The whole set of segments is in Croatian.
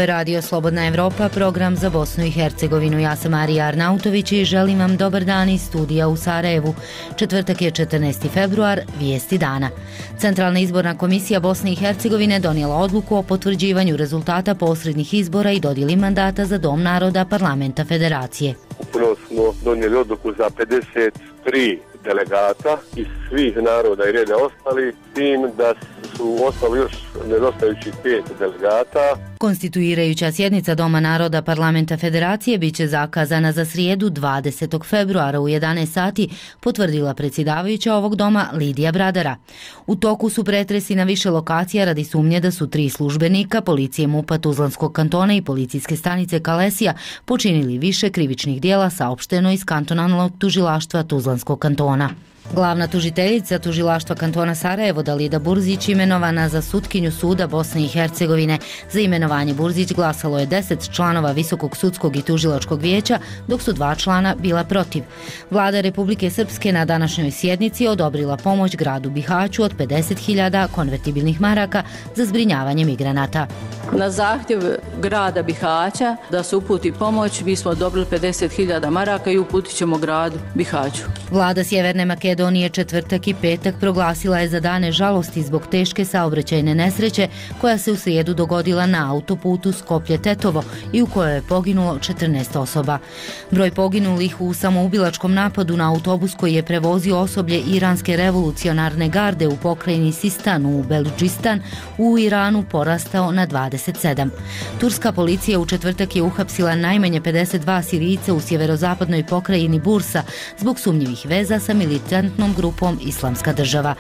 je Radio Slobodna Evropa, program za Bosnu i Hercegovinu. Ja sam Marija Arnautović i želim vam dobar dan iz studija u Sarajevu. Četvrtak je 14. februar, vijesti dana. Centralna izborna komisija Bosne i Hercegovine donijela odluku o potvrđivanju rezultata posrednih izbora i dodjeli mandata za Dom naroda Parlamenta Federacije. Upravo smo donijeli odluku za 53 delegata iz svih naroda i reda ostali, tim da su ostali još nedostajućih 5 delegata. Konstituirajuća sjednica Doma naroda Parlamenta Federacije biće zakazana za srijedu 20. februara u 11 sati, potvrdila predsjedavajuća ovog doma Lidija Bradara. U toku su pretresi na više lokacija radi sumnje da su 3 službenika policije MUP-a Tuzlanskog kantona i policijske stanice Kalesija počinili više krivičnih dijela, saopšteno iz kantonalnog tužilaštva Tuzlanskog kantona. Glavna tužiteljica tužilaštva kantona Sarajevo Dalida Burzić imenovana za sutkinju suda Bosne i Hercegovine. Za imenovanje Burzić glasalo je 10 članova Visokog sudskog i tužilačkog vijeća, dok su 2 člana bila protiv. Vlada Republike Srpske na današnjoj sjednici odobrila pomoć gradu Bihaću od 50.000 konvertibilnih maraka za zbrinjavanje migranata. Na zahtjev grada Bihaća da se uputi pomoć, mi smo odobrili 50.000 maraka i uputit ćemo gradu Bihaću. Vlada Sjeverne Makedonije četvrtak i petak proglasila je za dane žalosti zbog teške saobraćajne nesreće koja se u srijedu dogodila na autoputu Skoplje-Tetovo i u kojoj je poginulo 14 osoba. Broj poginulih u samoubilačkom napadu na autobus koji je prevozio osoblje Iranske revolucionarne garde u pokrajini Sistan u Beludžistan u Iranu porastao na 27. Turska policija u četvrtak je uhapsila najmanje 52 Sirijce u sjeverozapadnoj pokrajini Bursa zbog sumnjivih veza sa militantnom grupom Islamska država.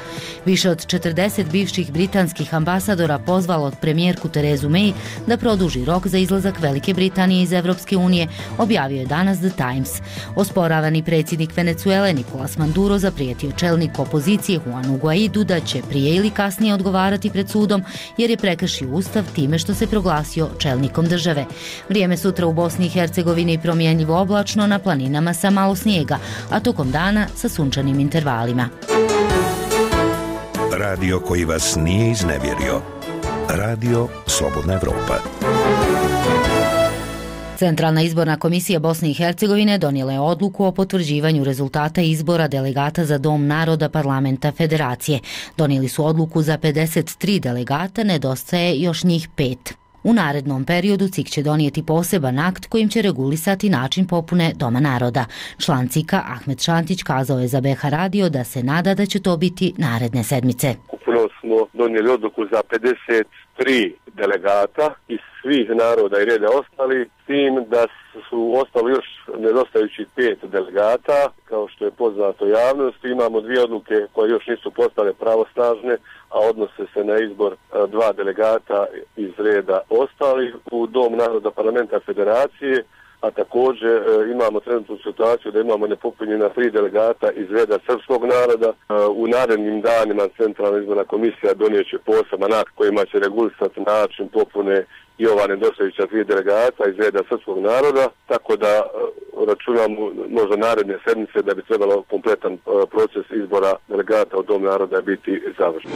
Više od 40 bivših britanskih ambasadora pozvalo od premijerku Terezu May da produži rok za izlazak Velike Britanije iz Evropske unije, objavio je danas The Times. Osporavani predsjednik Venezuele Nicolas Maduro zaprijetio čelniku opozicije Juanu Guaidu da će prije ili kasnije odgovarati pred sudom jer je prekršio ustav time što se proglasio čelnikom države. Vrijeme sutra u Bosni i Hercegovini promjenjivo oblačno, na planinama sa malo snijega, a tokom dana sa sunčanim intervalima. Radio koji vas nije iznevjerio. Radio Slobodna Evropa. Centralna izborna komisija Bosne i Hercegovine donijela je odluku o potvrđivanju rezultata izbora delegata za Dom naroda Parlamenta Federacije. Donijeli su odluku za 53 delegata, nedostaje još njih 5. U narednom periodu CIK će donijeti poseban akt kojim će regulisati način popune Doma naroda. Član CIK-a Ahmed Šantić kazao je za BH Radio da se nada da će to biti naredne sedmice. Upravo smo donijeli odluku za 53 delegata iz svih naroda i reda ostali, s tim da su ostali još nedostajućih 5 delegata. Kao što je poznato javnosti, imamo 2 odluke koje još nisu postale pravosnažne, a odnose se na izbor 2 delegata iz reda ostalih u Dom naroda Parlamenta Federacije, a također imamo trenutnu situaciju da imamo nepopunjena 3 delegata iz reda srpskog naroda. U narednim danima Centralna izborna komisija donijet će poseban akt kojima će regulisati način popune i ova nedostajuća 3 delegata iz reda srpskog naroda, tako da računamo možda naredne sedmice da bi trebalo kompletan proces izbora delegata u Dom naroda biti završen.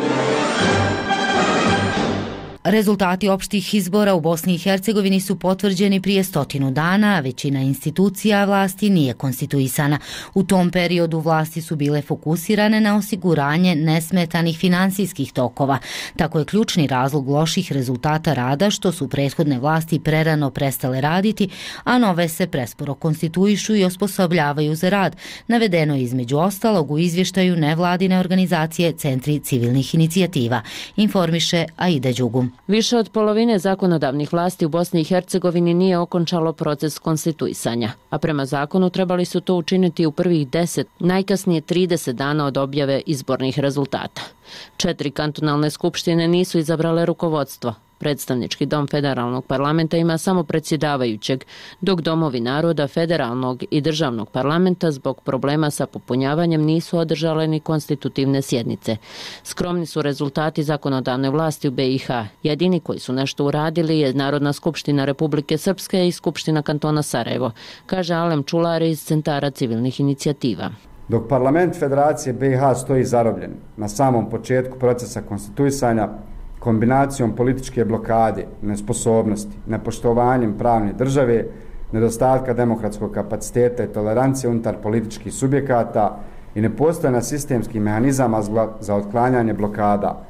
Rezultati opštih izbora u Bosni i Hercegovini su potvrđeni prije 100 dana, a većina institucija vlasti nije konstituisana. U tom periodu vlasti su bile fokusirane na osiguranje nesmetanih finansijskih tokova. Tako je ključni razlog loših rezultata rada što su prethodne vlasti prerano prestale raditi, a nove se presporo konstituišu i osposobljavaju za rad. Navedeno je između ostalog u izvještaju nevladine organizacije Centri civilnih inicijativa, informiše Aida Đugum. Više od polovine zakonodavnih vlasti u Bosni i Hercegovini nije okončalo proces konstituisanja, a prema zakonu trebali su to učiniti u prvih 10, najkasnije 30 dana od objave izbornih rezultata. 4 kantonalne skupštine nisu izabrale rukovodstvo. Predstavnički dom federalnog parlamenta ima samo predsjedavajućeg, dok domovi naroda, federalnog i državnog parlamenta zbog problema sa popunjavanjem nisu održale ni konstitutivne sjednice. Skromni su rezultati zakonodavne vlasti u BiH. Jedini koji su nešto uradili je Narodna skupština Republike Srpske i Skupština kantona Sarajevo, kaže Alem Čular iz Centara civilnih inicijativa. Dok parlament Federacije BiH stoji zarobljen na samom početku procesa konstituisanja, kombinacijom političke blokade, nesposobnosti, nepoštovanjem pravne države, nedostatka demokratskog kapaciteta i tolerancije unutar političkih subjekata i nepostojanja sistemskih mehanizama za otklanjanje blokada,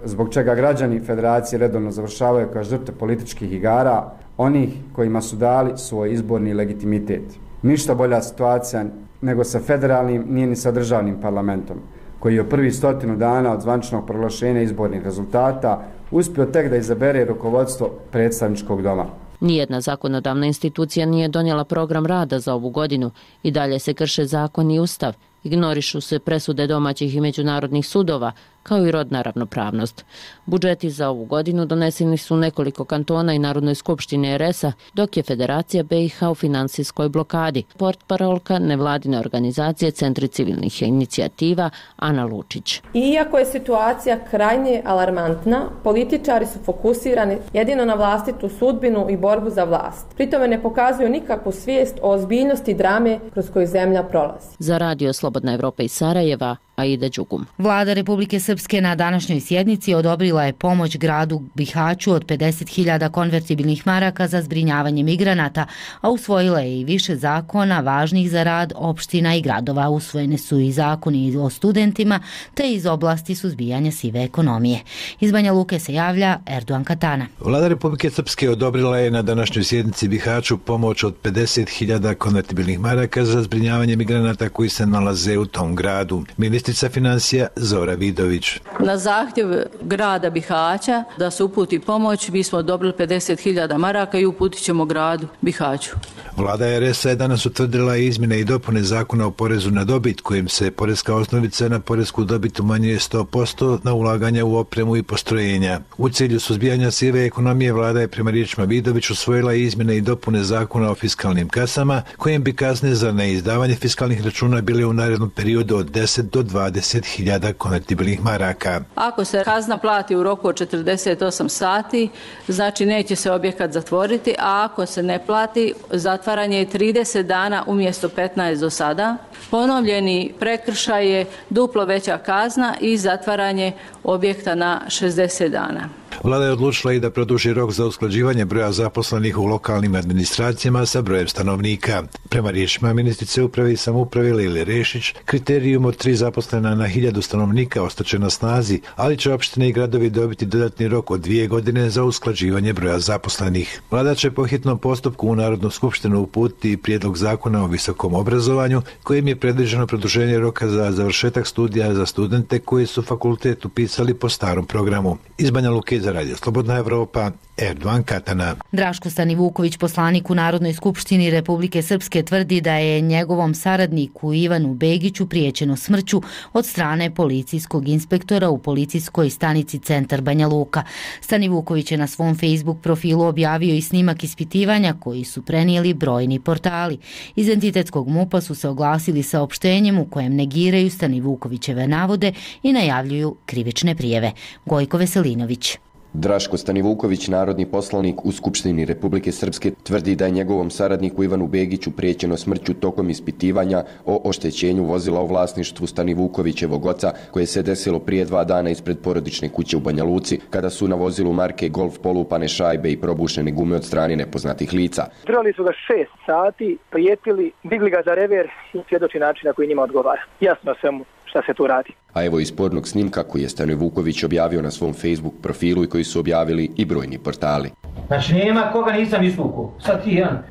zbog čega građani Federacije redovno završavaju kao žrtve političkih igara, onih kojima su dali svoj izborni legitimitet. Ništa bolja situacija nego sa federalnim, nije ni sa državnim parlamentom, koji je u prvih 100 dana od zvaničnog proglašenja izbornih rezultata uspio tek da izabere rukovodstvo predstavničkog doma. Nijedna zakonodavna institucija nije donijela program rada za ovu godinu i dalje se krše zakon i ustav, ignorišu se presude domaćih i međunarodnih sudova, kao i rodna ravnopravnost. Budžeti za ovu godinu doneseni su nekoliko kantona i Narodnoj skupštini RS-a, dok je Federacija BiH u finansijskoj blokadi. Portparolka nevladine organizacije Centri civilnih inicijativa Ana Lučić. Iako je situacija krajnje alarmantna, političari su fokusirani jedino na vlastitu sudbinu i borbu za vlast. Pritome ne pokazuju nikakvu svijest o ozbiljnosti drame kroz koju zemlja prolazi. Za Radio Slobodna Evropa iz Sarajeva, Aida Đugum. Vlada Republike Srpske na današnjoj sjednici odobrila je pomoć gradu Bihaću od 50.000 konvertibilnih maraka za zbrinjavanje migranata, a usvojila je i više zakona važnih za rad opština i gradova. Usvojene su i zakoni o studentima, te iz oblasti suzbijanja sive ekonomije. Iz Banja Luke se javlja Erdogan Katana. Vlada Republike Srpske odobrila je na današnjoj sjednici Bihaću pomoć od 50.000 konvertibilnih maraka za zbrinjavanje migranata koji se nalaze u tom gradu. Ministrica financija Zora Vidović. Na zahtjev grada Bihaća da se uputi pomoć, mi smo odobrili 50.000 maraka i uputit ćemo gradu Bihaću. Vlada RS-a je danas utvrdila izmjene i dopune zakona o porezu na dobit, kojim se poreska osnovica na poresku dobit umanjuje 100% na ulaganja u opremu i postrojenja. U cilju suzbijanja sive ekonomije Vlada je prema riječima Vidović usvojila izmjene i dopune zakona o fiskalnim kasama, kojim bi kazne za neizdavanje fiskalnih računa bile u narednom periodu od 10 do 20.000 konvertibilnih maraka. Ako se kazna plati u roku od 48 sati, znači neće se objekat zatvoriti, a ako se ne plati, zatvaranje je 30 dana umjesto 15 do sada. Ponovljeni prekršaj je duplo veća kazna i zatvaranje objekta na 60 dana. Vlada je odlučila i da produži rok za usklađivanje broja zaposlenih u lokalnim administracijama sa brojem stanovnika. Prema riječima ministrice uprave i samouprave Lile Rešić, kriterijum od 3 zaposlena na 1000 stanovnika ostaće na snazi, ali će opštine i gradovi dobiti dodatni rok od 2 godine za usklađivanje broja zaposlenih. Vlada će po hitnom postupku u Narodnu skupštinu uputiti prijedlog zakona o visokom obrazovanju, kojim je predviđeno produženje roka za završetak studija za studente koji su fakultet upisali po starom programu. Iz Banja Luke za Radio Slobodna Evropa, Erdogan Katana. Draško Stanivuković, poslanik u Narodnoj skupštini Republike Srpske, tvrdi da je njegovom saradniku Ivanu Begiću prijećeno smrću od strane policijskog inspektora u policijskoj stanici Centar Banja Luka. Stanivuković je na svom Facebook profilu objavio i snimak ispitivanja koji su prenijeli brojni portali. Iz entitetskog MUP-a su se oglasili saopštenjem u kojem negiraju Stanivukovićeve navode i najavljuju krivične prijave. Gojko Veselinović. Draško Stanivuković, narodni poslanik u Skupštini Republike Srpske, tvrdi da je njegovom saradniku Ivanu Begiću prijećeno smrću tokom ispitivanja o oštećenju vozila u vlasništvu Stanivukovićevog oca, koje se desilo prije 2 dana ispred porodične kuće u Banja Luci, kada su na vozilu marke Golf polupane šajbe i probušene gume od strane nepoznatih lica. Trebali su ga 6 sati, prijetili, digli ga za rever i svjedoči način na koji njima odgovara. Jasno svemu šta se tu radi. A evo iz spornog snimka koji je Stanivuković objavio na svom Facebook profilu i koji su objavili i brojni portali. Znači nema koga nisam izvukao. Sad ti jedan,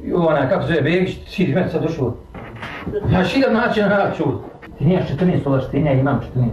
kako zove Begić, ti meni sad došao. Ja šidam način na način. Ti nimaš 14 ovlaštenja, ja imam 14.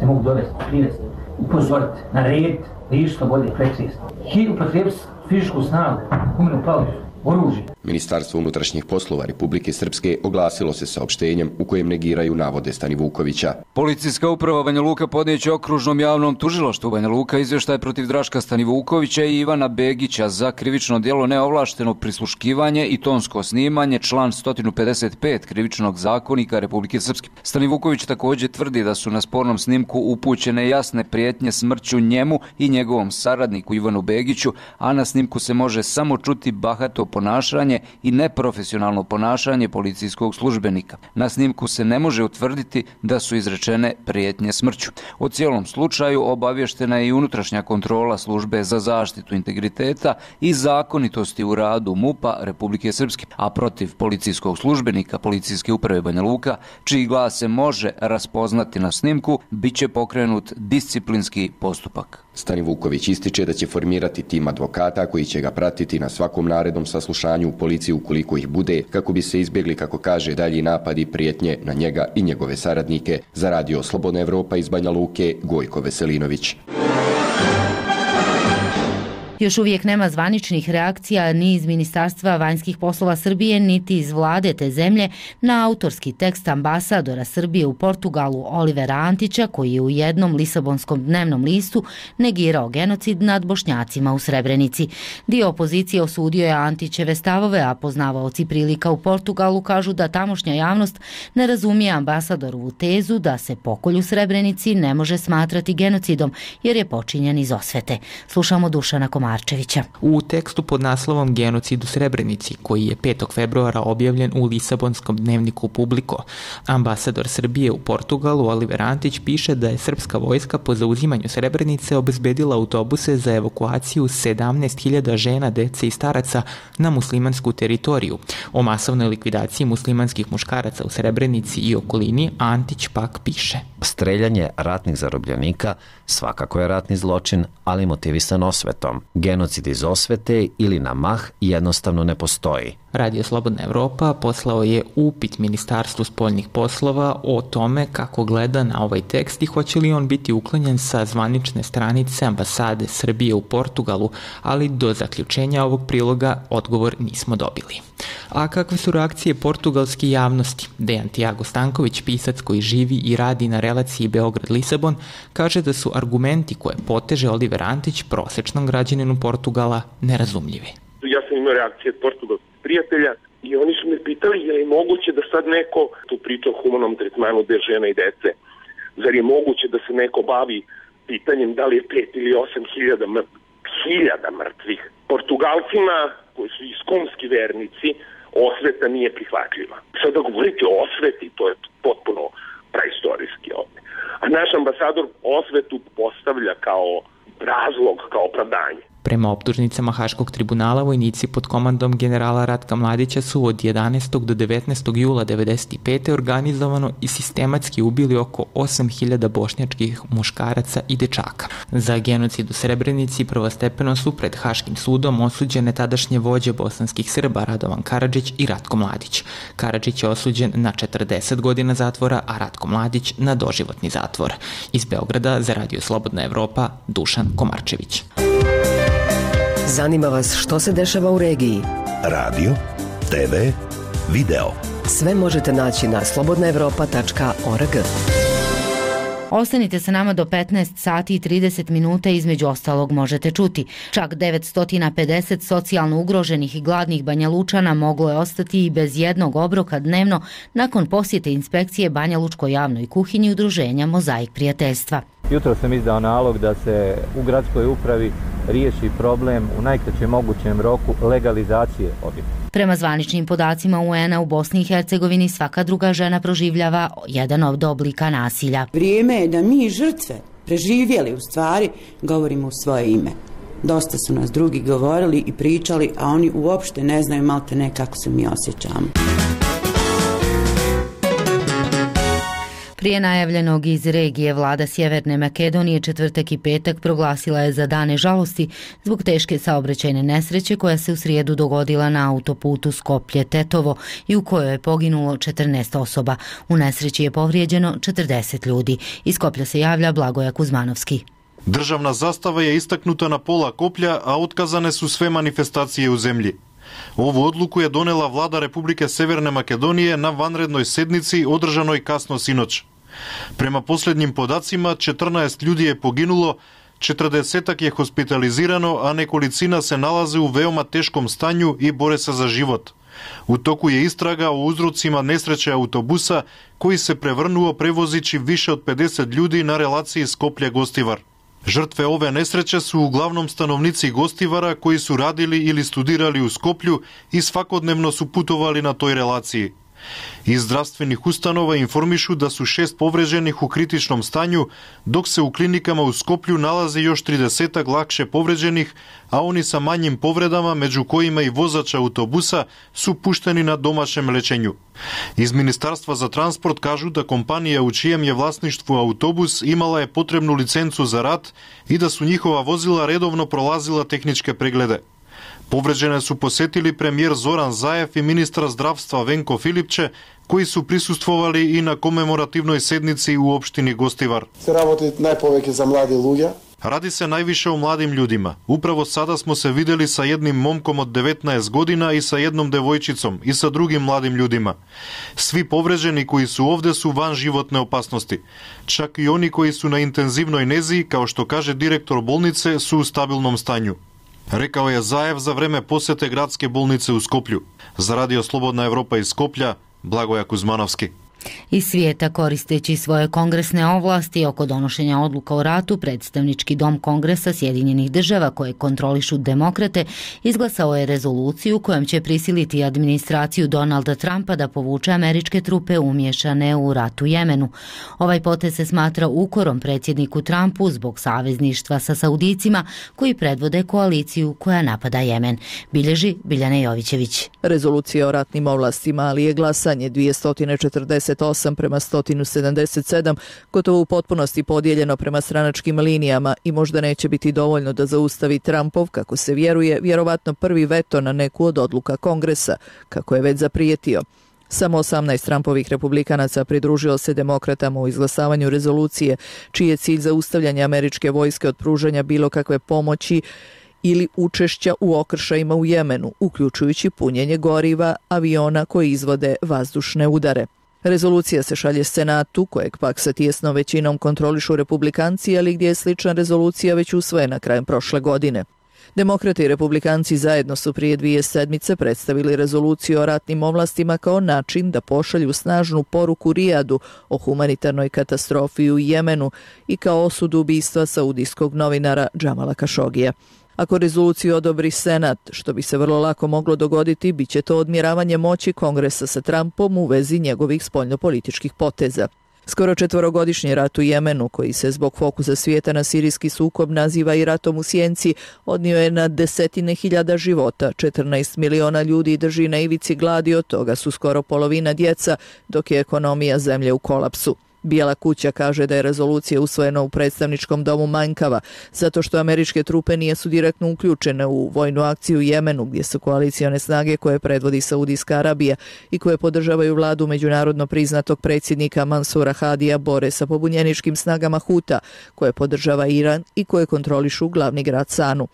Te mogu dovesti, privesti, upozoriti, narediti, da iš što bolje, precizno. I upotrebiti fizičku snagu, umenu palicu, oružje. Ministarstvo unutrašnjih poslova Republike Srpske oglasilo se saopštenjem u kojem negiraju navode Stanivukovića. Policijska uprava Banja Luka podnijeće okružnom javnom tužilaštvu Banja Luka izvještaj protiv Draška Stanivukovića i Ivana Begića za krivično djelo neovlašteno prisluškivanje i tonsko snimanje, član 155 krivičnog zakonika Republike Srpske. Stanivuković također tvrdi da su na spornom snimku upućene jasne prijetnje smrću njemu i njegovom saradniku Ivanu Begiću, a na snimku se može samo čuti bahato ponašanje i neprofesionalno ponašanje policijskog službenika. Na snimku se ne može utvrditi da su izrečene prijetnje smrću. O cijelom slučaju obavještena je i unutrašnja kontrola službe za zaštitu integriteta i zakonitosti u radu MUP-a Republike Srpske, a protiv policijskog službenika Policijske uprave Banja Luka, čiji glas se može raspoznati na snimku, bit će pokrenut disciplinski postupak. Stani Vuković ističe da će formirati tim advokata koji će ga pratiti na svakom narednom saslušanju u policiji ukoliko ih bude, kako bi se izbjegli, kako kaže, dalji napadi i prijetnje na njega i njegove saradnike. Za Radio Slobodna Evropa iz Banja Luke, Gojko Veselinović. Još uvijek nema zvaničnih reakcija ni iz Ministarstva vanjskih poslova Srbije, niti iz vlade te zemlje na autorski tekst ambasadora Srbije u Portugalu Olivera Antića, koji je u jednom lisabonskom dnevnom listu negirao genocid nad Bošnjacima u Srebrenici. Dio opozicije osudio je Antićeve stavove, a poznavaoci prilika u Portugalu kažu da tamošnja javnost ne razumije ambasadorovu tezu da se pokolj u Srebrenici ne može smatrati genocidom jer je počinjen iz osvete. Slušamo Dušana Komarčevića. U tekstu pod naslovom Genocid u Srebrenici, koji je 5. februara objavljen u Lisabonskom dnevniku Publiko, ambasador Srbije u Portugalu Oliver Antić piše da je srpska vojska po zauzimanju Srebrenice obezbedila autobuse za evakuaciju 17.000 žena, dece i staraca na muslimansku teritoriju. O masovnoj likvidaciji muslimanskih muškaraca u Srebrenici i okolini Antić pak piše: Streljanje ratnih zarobljenika svakako je ratni zločin, ali motivisan osvetom. Genocid iz osvete ili na mah jednostavno ne postoji. Radio Slobodna Evropa poslao je upit Ministarstvu spoljnih poslova o tome kako gleda na ovaj tekst i hoće li on biti uklonjen sa zvanične stranice ambasade Srbije u Portugalu, ali do zaključenja ovog priloga odgovor nismo dobili. A kakve su reakcije portugalske javnosti? Dejan Tiago Stanković, pisac koji živi i radi na relaciji Beograd-Lisabon, kaže da su argumenti koje poteže Oliver Antić prosječnom građaninu Portugala nerazumljivi. Ja sam imao reakcije od portugalskih prijatelja i oni su me pitali je li moguće da sad neko tu priča o humanom tretmanu de žena i dece. Zar je moguće da se neko bavi pitanjem da li je 5 ili 8 hiljada mrtvih? Portugalcima koji su iskonski vernici osveta nije prihvatljiva. Sada govoriti o osveti, to je potpuno praistorijski ovdje. A naš ambasador osvetu postavlja kao razlog, kao opravdanje. Prema optužnicama Haškog tribunala, vojnici pod komandom generala Ratka Mladića su od 11. do 19. jula 1995. organizovano i sistematski ubili oko 8.000 bošnjačkih muškaraca i dečaka. Za genocid u Srebrenici prvostepeno su pred Haškim sudom osuđene tadašnje vođe bosanskih Srba Radovan Karadžić i Ratko Mladić. Karadžić je osuđen na 40 godina zatvora, a Ratko Mladić na doživotni zatvor. Iz Beograda za Radio Slobodna Evropa, Dušan Komarčević. Zanima vas što se dešava u regiji? Radio, TV, video. Sve možete naći na slobodnaevropa.org. Ostanite sa nama do 15 sati i 30 minuta, između ostalog možete čuti. Čak 950 socijalno ugroženih i gladnih Banjalučana moglo je ostati i bez jednog obroka dnevno nakon posjete inspekcije Banjalučkoj javnoj kuhinji udruženja Mozaik prijateljstva. Jutro sam izdao nalog da se u gradskoj upravi riješi problem u najkraćem mogućem roku legalizacije objekta. Prema zvaničnim podacima UN-a u Bosni i Hercegovini svaka druga žena proživljava jedan od oblika nasilja. Vrijeme je da mi žrtve preživjeli u stvari govorimo u svoje ime. Dosta su nas drugi govorili i pričali, a oni uopšte ne znaju malte ne kako se mi osjećamo. Prije najavljenog iz regije, vlada Sjeverne Makedonije četvrtak i petak proglasila je za dane žalosti zbog teške saobraćajne nesreće koja se u srijedu dogodila na autoputu Skoplje-Tetovo i u kojoj je poginulo 14 osoba. U nesreći je povrijeđeno 40 ljudi. Iz Skoplja se javlja Blagoja Kuzmanovski. Državna zastava je istaknuta na pola koplja, a otkazane su sve manifestacije u zemlji. Ovu odluku je donela vlada Republike Severne Makedonije na vanrednoj sednici održanoj kasno sinoć. Prema posljednjim podacima, 14 ljudi je poginulo, 40 je hospitalizirano, a nekolicina se nalaze u veoma teškom stanju i bore se za život. U toku je istraga o uzrocima nesreće autobusa koji se prevrnuo prevozići više od 50 ljudi na relaciji Skoplje-Gostivar. Žrtve ove nesreće su uglavnom stanovnici Gostivara koji su radili ili studirali u Skoplju i svakodnevno su putovali na toj relaciji. Iz zdravstvenih ustanova informišu da su 6 povređenih u kritičnom stanju, dok se u klinikama u Skoplju nalaze još 30 lakše povređenih, a oni sa manjim povredama, među kojima i vozač autobusa, su pušteni na domaćem lečenju. Iz Ministarstva za transport kažu da kompanija u čijem je vlasništvu autobus imala je potrebnu licencu za rad i da su njihova vozila redovno prolazila tehničke preglede. Povređene su posetili premijer Zoran Zaev i ministar zdravstva Venko Filipče, koji su prisustvovali i na komemorativnoj sednici u opštini Gostivar. Se работи најповеќе за млади луѓе. Radi se najviše o mladim ljudima. Upravo sada smo se videli sa jednim momkom od 19 godina i sa jednom devojčicom i sa drugim mladim ljudima. Svi povređeni koji su ovde su van životne opasnosti. Čak i oni koji su na intenzivnoj nezi, kao što kaže direktor bolnice, su u stabilnom stanju. Rekao je Zaev za vreme posete gradske bolnice u Skoplju. Za Radio Slobodna Evropa iz Skoplja, Blagoja Kuzmanovski. Iz svijeta, koristeći svoje kongresne ovlasti oko donošenja odluka o ratu, predstavnički dom Kongresa Sjedinjenih država koje kontrolišu demokrate izglasao je rezoluciju kojom će prisiliti administraciju Donalda Trumpa da povuče američke trupe umješane u rat u Jemenu. Ovaj potez se smatra ukorom predsjedniku Trumpu zbog savezništva sa Saudicima koji predvode koaliciju koja napada Jemen. Bilježi Biljana Jovićević. Rezolucija o ratnim ovlastima, ali je glasanje 248 prema 177, gotovo u potpunosti podijeljeno prema stranačkim linijama i možda neće biti dovoljno da zaustavi Trumpov, kako se vjeruje, vjerovatno prvi veto na neku od odluka Kongresa, kako je već zaprijetio. Samo 18 Trumpovih republikanaca pridružilo se demokratama u izglasavanju rezolucije, čiji je cilj zaustavljanje američke vojske od pružanja bilo kakve pomoći ili učešća u okršajima u Jemenu, uključujući punjenje goriva aviona koji izvode vazdušne udare. Rezolucija se šalje Senatu, kojeg pak sa tijesnom većinom kontrolišu republikanci, ali gdje je slična rezolucija već usvojena krajem prošle godine. Demokrati i republikanci zajedno su prije 2 sedmice predstavili rezoluciju o ratnim ovlastima kao način da pošalju snažnu poruku Rijadu o humanitarnoj katastrofi u Jemenu i kao osudu ubistva saudijskog novinara Džamala Kašogija. Ako rezoluciju odobri Senat, što bi se vrlo lako moglo dogoditi, bit će to odmjeravanje moći Kongresa sa Trumpom u vezi njegovih spoljnopolitičkih poteza. Skoro 4-godišnji rat u Jemenu, koji se zbog fokusa svijeta na sirijski sukob naziva i ratom u sjenci, odnio je na desetine hiljada života, 14 miliona ljudi drži na ivici gladi, od toga su skoro polovina djeca, dok je ekonomija zemlje u kolapsu. Bijela kuća kaže da je rezolucija usvojena u predstavničkom domu manjkava, zato što američke trupe nisu direktno uključene u vojnu akciju u Jemenu, gdje su koalicione snage koje predvodi Saudijska Arabija i koje podržavaju vladu međunarodno priznatog predsjednika Mansura Hadija bore sa pobunjeničkim snagama Huta, koje podržava Iran i koje kontrolišu glavni grad Sanu.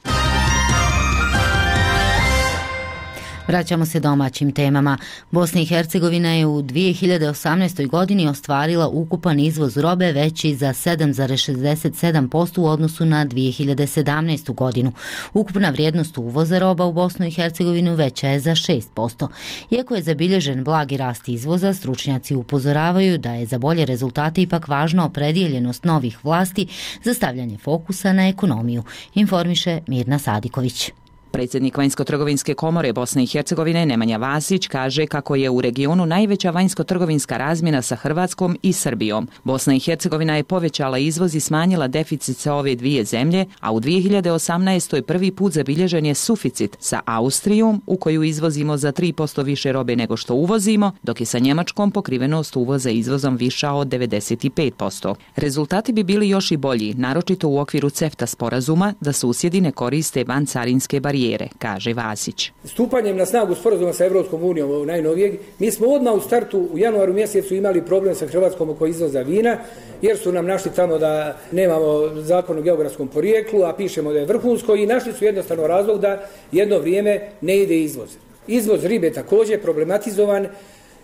Vraćamo se domaćim temama. Bosna i Hercegovina je u 2018. godini ostvarila ukupan izvoz robe veći za 7,67% u odnosu na 2017. godinu. Ukupna vrijednost uvoza roba u Bosnu i Hercegovinu veća je za 6%. Iako je zabilježen blagi rast izvoza, stručnjaci upozoravaju da je za bolje rezultate ipak važna opredjeljenost novih vlasti za stavljanje fokusa na ekonomiju, informiše Mirna Sadiković. Predsjednik Vanjsko-trgovinske komore Bosne i Hercegovine Nemanja Vasić kaže kako je u regionu najveća vanjsko-trgovinska razmjena sa Hrvatskom i Srbijom. Bosna i Hercegovina je povećala izvoz i smanjila deficit sa ove dvije zemlje, a u 2018. prvi put zabilježen je suficit sa Austrijom, u koju izvozimo za 3% više robe nego što uvozimo, dok je sa Njemačkom pokrivenost uvoza izvozom viša od 95%. Rezultati bi bili još i bolji, naročito u okviru CEFTA sporazuma, da susjedi ne koriste vancarinske barijere, kaže Vasić. Stupanjem na snagu sporazuma sa Evropskom unijom najnovijeg, mi smo odmah u startu u januaru mjesecu imali problem sa Hrvatskom oko izvoza vina, jer su nam našli tamo da nemamo zakon o geografskom porijeklu, a pišemo da je vrhunsko, i našli su jednostavno razlog da jedno vrijeme ne ide izvoz. Izvoz ribe također problematizovan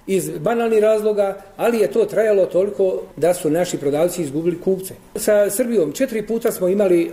iz banalnih razloga, ali je to trajalo toliko da su naši prodavci izgubili kupce. Sa Srbijom 4 puta smo imali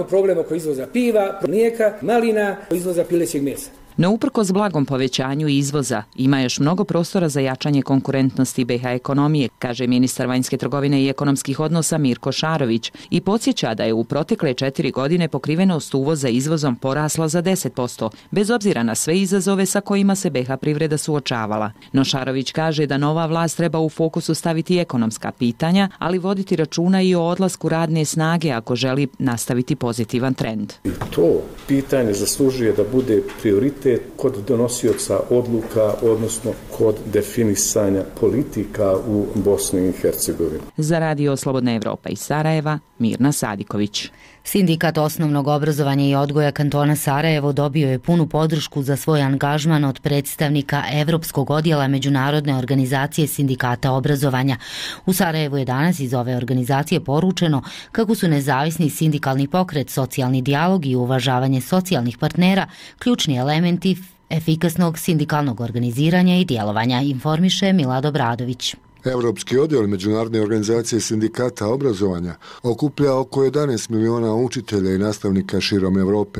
problem oko izvoza piva, mlijeka, malina, izvoza pilećeg mesa. No uprkos blagom povećanju izvoza, ima još mnogo prostora za jačanje konkurentnosti BiH ekonomije, kaže ministar vanjske trgovine i ekonomskih odnosa Mirko Šarović i podsjeća da je u protekle 4 godine pokrivenost uvoza izvozom porasla za 10%, bez obzira na sve izazove sa kojima se BiH privreda suočavala. No Šarović kaže da nova vlast treba u fokusu staviti ekonomska pitanja, ali voditi računa i o odlasku radne snage ako želi nastaviti pozitivan trend. I to pitanje zaslužuje da bude prioritet kod donosioca odluka, odnosno kod definisanja politika u Bosni i Hercegovini. Za Radio Slobodna Evropa iz Sarajeva, Mirna Sadiković. Sindikat osnovnog obrazovanja i odgoja kantona Sarajevo dobio je punu podršku za svoj angažman od predstavnika Evropskog odjela Međunarodne organizacije sindikata obrazovanja. U Sarajevu je danas iz ove organizacije poručeno kako su nezavisni sindikalni pokret, socijalni dijalog i uvažavanje socijalnih partnera ključni elementi efikasnog sindikalnog organiziranja i djelovanja, informiše Milad Obradović. Evropski odjel Međunarodne organizacije sindikata obrazovanja okuplja oko 11 miliona učitelja i nastavnika širom Europe.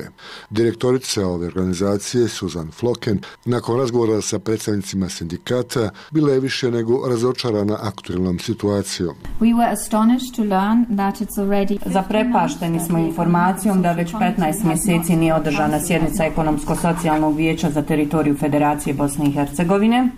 Direktorica ove organizacije, Susan Flocken, nakon razgovora sa predstavnicima sindikata, bila je više nego razočarana aktualnom situacijom. Zaprepašteni smo informacijom da već 15 mjeseci nije održana sjednica Ekonomsko-socijalnog vijeća za teritoriju Federacije Bosne i Hercegovine.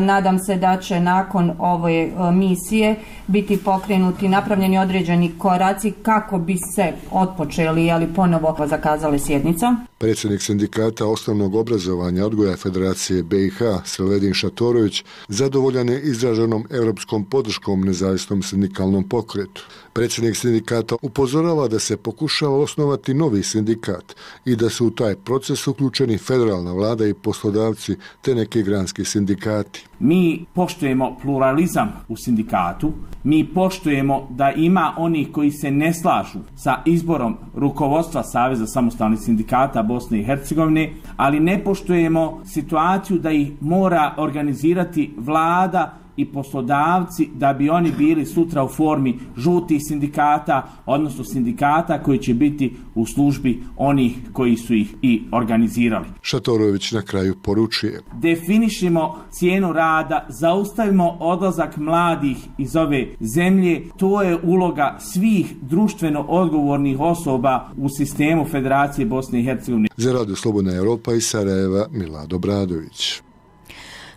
Nadam se da će nakon ove misije biti pokrenuti, napravljeni određeni koraci kako bi se otpočeli, ali ponovo zakazale sjednica. Predsjednik sindikata osnovnog obrazovanja odgoja Federacije BiH, Sreledin Šatorović, zadovoljan je izraženom europskom podrškom nezavisnom sindikalnom pokretu. Predsjednik sindikata upozorava da se pokušava osnovati novi sindikat i da su u taj proces uključeni federalna vlada i poslodavci te neki granski sindikati. Mi poštujemo pluralizam u sindikatu, mi poštujemo da ima onih koji se ne slažu sa izborom rukovodstva Saveza samostalnih sindikata Bosne i Hercegovine, ali ne poštujemo situaciju da ih mora organizirati vlada i poslodavci da bi oni bili sutra u formi žutih sindikata, odnosno sindikata koji će biti u službi onih koji su ih i organizirali. Šatorović na kraju poručuje: definišimo cijenu rada, zaustavimo odlazak mladih iz ove zemlje, to je uloga svih društveno odgovornih osoba u sistemu Federacije Bosne i Hercegovine. Za Radio Slobodna Evropa iz Sarajeva, Milad Obradović.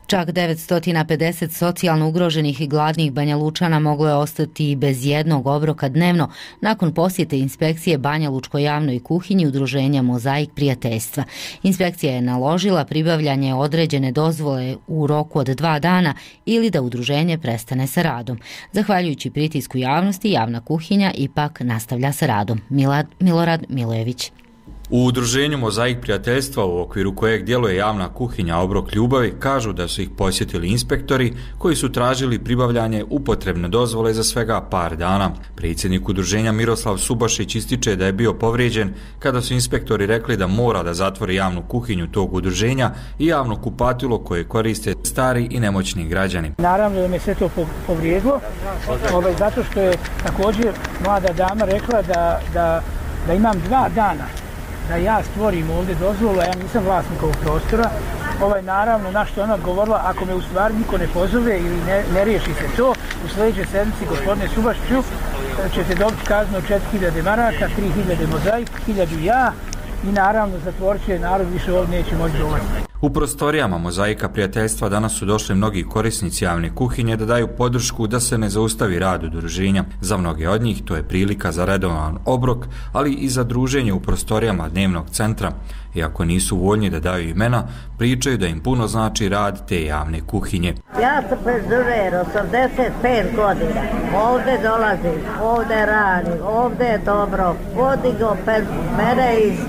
Čak 950 socijalno ugroženih i gladnih Banja Lučana moglo je ostati bez jednog obroka dnevno nakon posjete inspekcije Banja Lučkoj javnoj kuhinji udruženja Mozaik prijateljstva. Inspekcija je naložila pribavljanje određene dozvole u roku od 2 dana ili da udruženje prestane sa radom. Zahvaljujući pritisku javnosti, javna kuhinja ipak nastavlja sa radom. Milorad Milojević. U udruženju Mozaik prijateljstva, u okviru kojeg djeluje javna kuhinja Obrok ljubavi, kažu da su ih posjetili inspektori koji su tražili pribavljanje upotrebne dozvole za svega par dana. Predsjednik udruženja Miroslav Subašić ističe da je bio povrijeđen kada su inspektori rekli da mora da zatvori javnu kuhinju tog udruženja i javno kupatilo koje koriste stari i nemoćni građani. Naravno da me sve to povrijedilo, zato što je također mlada dama rekla da imam 2 dana da ja stvorim ovdje dozvolu, a ja nisam vlasnik ovog prostora. Naravno, na što ona govorila, ako me u stvari niko ne pozove ili ne riješi se to, u sljedećoj sedmici, gospodine Subašiću, ćete dobiti kaznu od 4000 maraka, 3000 Mozaik, 1000 ja i naravno zatvorit će narod, više ovdje neće moći dolaziti. U prostorijama Mozaika prijateljstva danas su došli mnogi korisnici javne kuhinje da daju podršku da se ne zaustavi rad udruženja. Za mnoge od njih to je prilika za redovan obrok, ali i za druženje u prostorijama dnevnog centra. Iako nisu voljni da daju imena, pričaju da im puno znači rad te javne kuhinje. Ja sam penzioner, 85 godina. Ovdje dolazim, ovdje radim, ovdje je dobro. Podigo mene iz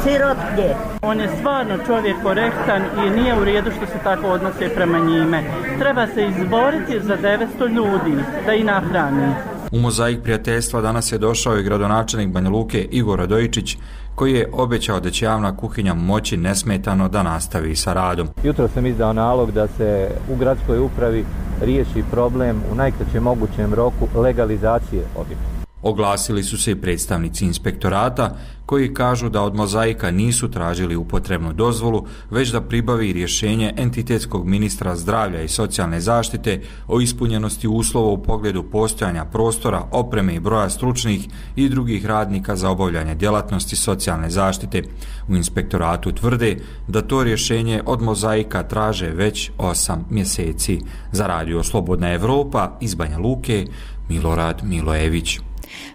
sirotnje. On je stvarno čovjek korektan i nije u redu što se tako odnose prema njime. Treba se izboriti za 900 ljudi da i nahrani. U Mozaik prijateljstva danas je došao i gradonačelnik Banja Luke Igor Radojičić, koji je obećao da će javna kuhinja moći nesmetano da nastavi sa radom. Jutro sam izdao nalog da se u gradskoj upravi riješi problem u najkraćem mogućem roku legalizacije objekta. Oglasili su se i predstavnici inspektorata koji kažu da od Mozaika nisu tražili upotrebnu dozvolu, već da pribavi rješenje entitetskog ministra zdravlja i socijalne zaštite o ispunjenosti uslova u pogledu postojanja prostora, opreme i broja stručnih i drugih radnika za obavljanje djelatnosti socijalne zaštite. U inspektoratu tvrde da to rješenje od Mozaika traže već 8 mjeseci. Za Radio Slobodna Evropa iz Banja Luke, Milorad Milojević.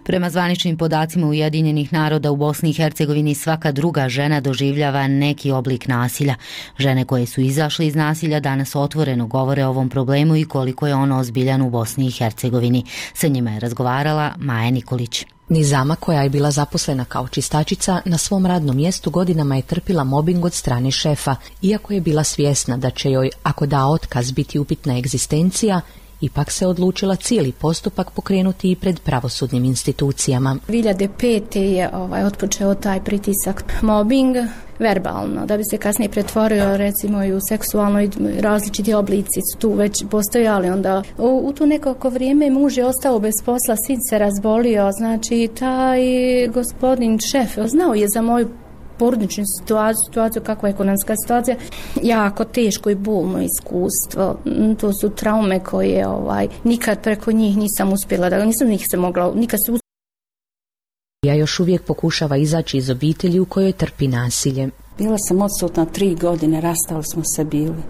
Prema zvaničnim podacima Ujedinjenih naroda u Bosni i Hercegovini svaka druga žena doživljava neki oblik nasilja. Žene koje su izašle iz nasilja danas otvoreno govore o ovom problemu i koliko je on ozbiljan u Bosni i Hercegovini. Sa njima je razgovarala Maja Nikolić. Nizama, koja je bila zaposlena kao čistačica, na svom radnom mjestu godinama je trpila mobing od strane šefa. Iako je bila svjesna da će joj, ako da otkaz, biti upitna egzistencija, ipak se odlučila cijeli postupak pokrenuti i pred pravosudnim institucijama. 2005. je otpočeo taj pritisak mobbing verbalno, da bi se kasnije pretvorio recimo i u seksualno, i različiti oblici su tu već postojali. Onda u tu nekako vrijeme muž je ostao bez posla, sin se razbolio, znači taj gospodin šef znao je za moju porodičnu situaciju, kakva je ekonomska situacija, jako teško i bolno iskustvo. To su traume koje nikad preko njih nisam uspjela, nikad se Ja još uvijek pokušava izaći iz obitelji u kojoj trpi nasilje. Bila sam odsutna 3 godine, rastali smo se bili,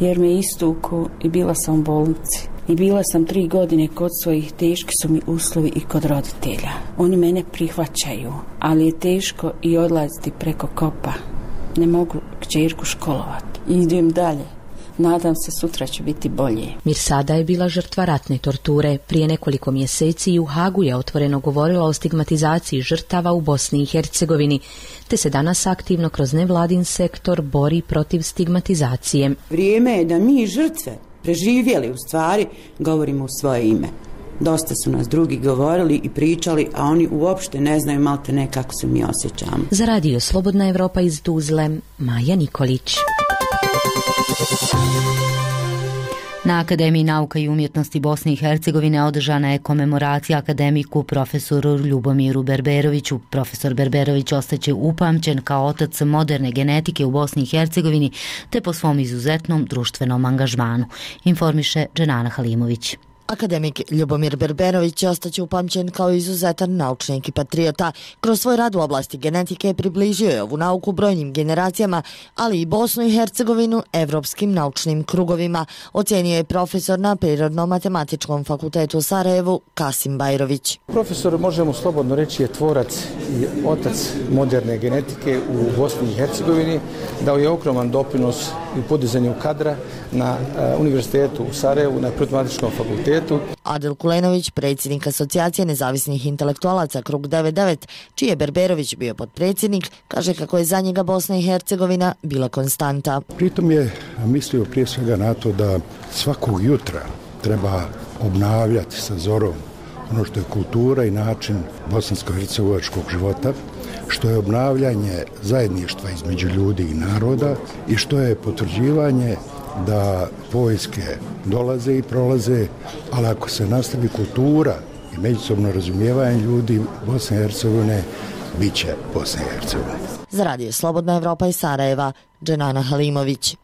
jer me istuku i bila sam u bolnici. I bila sam 3 godine kod svojih, teški su mi uslovi i kod roditelja. Oni mene prihvaćaju, ali je teško i odlaziti preko kopa. Ne mogu kćerku školovati. Idem dalje. Nadam se sutra će biti bolje. Mirsada je bila žrtva ratne torture. Prije nekoliko mjeseci i u Hagu je otvoreno govorila o stigmatizaciji žrtava u Bosni i Hercegovini, te se danas aktivno kroz nevladin sektor bori protiv stigmatizacije. Vrijeme je da mi žrtve, preživjeli u stvari, govorimo u svoje ime. Dosta su nas drugi govorili i pričali, a oni uopšte ne znaju malte ne kako se mi osjećamo. Za Radio Slobodna Evropa iz Tuzle, Maja Nikolić. Na Akademiji nauka i umjetnosti Bosne i Hercegovine održana je komemoracija akademiku profesoru Ljubomiru Berberoviću. Profesor Berberović ostaće upamćen kao otac moderne genetike u Bosni i Hercegovini te po svom izuzetnom društvenom angažmanu, informiše Dženana Halimović. Akademik Ljubomir Berberović ostaće upamćen kao izuzetan naučnik i patriota. Kroz svoj rad u oblasti genetike približio je ovu nauku brojnim generacijama, ali i Bosnu i Hercegovinu evropskim naučnim krugovima, ocjenio je profesor na Prirodno-matematičkom fakultetu u Sarajevu Kasim Bajrović. Profesor, možemo slobodno reći, je tvorac i otac moderne genetike u Bosni i Hercegovini, dao je ogroman doprinos u podizanju kadra na Univerzitetu u Sarajevu, na Prirodno-matematičkom fakultetu. Adel Kulenović, predsjednik Asocijacije nezavisnih intelektualaca Krug 99, čiji je Berberović bio potpredsjednik, kaže kako je za njega Bosna i Hercegovina bila konstanta. Pritom je mislio prije svega na to da svakog jutra treba obnavljati sa zorom ono što je kultura i način bosansko-hercegovačkog života, što je obnavljanje zajedništva između ljudi i naroda i što je potvrđivanje da vojske dolaze i prolaze, ali ako se nastavi kultura i međusobno razumijevanje ljudi Bosne i Hercegovine, bit će Bosna i Hercegovina. Za Radio Slobodna Evropa iz Sarajeva, Dženana Halimović.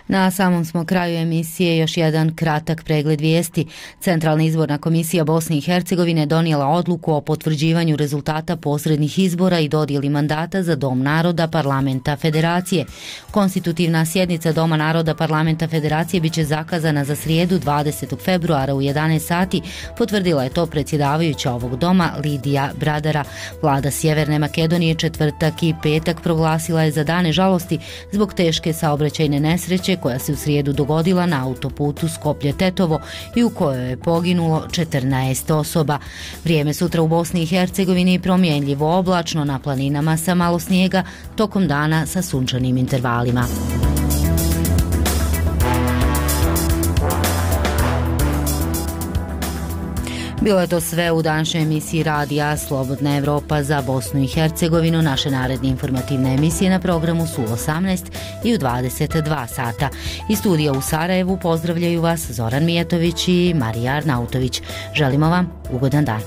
Na samom smo kraju emisije još jedan kratak pregled vijesti. Centralna izborna komisija Bosne i Hercegovine donijela odluku o potvrđivanju rezultata posrednih izbora i dodjeli mandata za Dom naroda Parlamenta Federacije. Konstitutivna sjednica Doma naroda Parlamenta Federacije biće zakazana za srijedu 20. februara u 11 sati, potvrdila je to predsjedavajuća ovog doma Lidija Bradara. Vlada Sjeverne Makedonije četvrtak i petak proglasila je za dane žalosti zbog teške saobraćajne nesreće koja se u srijedu dogodila na autoputu Skoplje-Tetovo i u kojoj je poginulo 14 osoba. Vrijeme sutra u Bosni i Hercegovini promjenljivo oblačno, na planinama sa malo snijega, tokom dana sa sunčanim intervalima. Bilo je to sve u današnjoj emisiji Radija Slobodna Evropa za Bosnu i Hercegovinu. Naše naredne informativne emisije na programu su u 18 i u 22 sata. Iz studija u Sarajevu pozdravljaju vas Zoran Mijetović i Marija Arnautović. Želimo vam ugodan dan.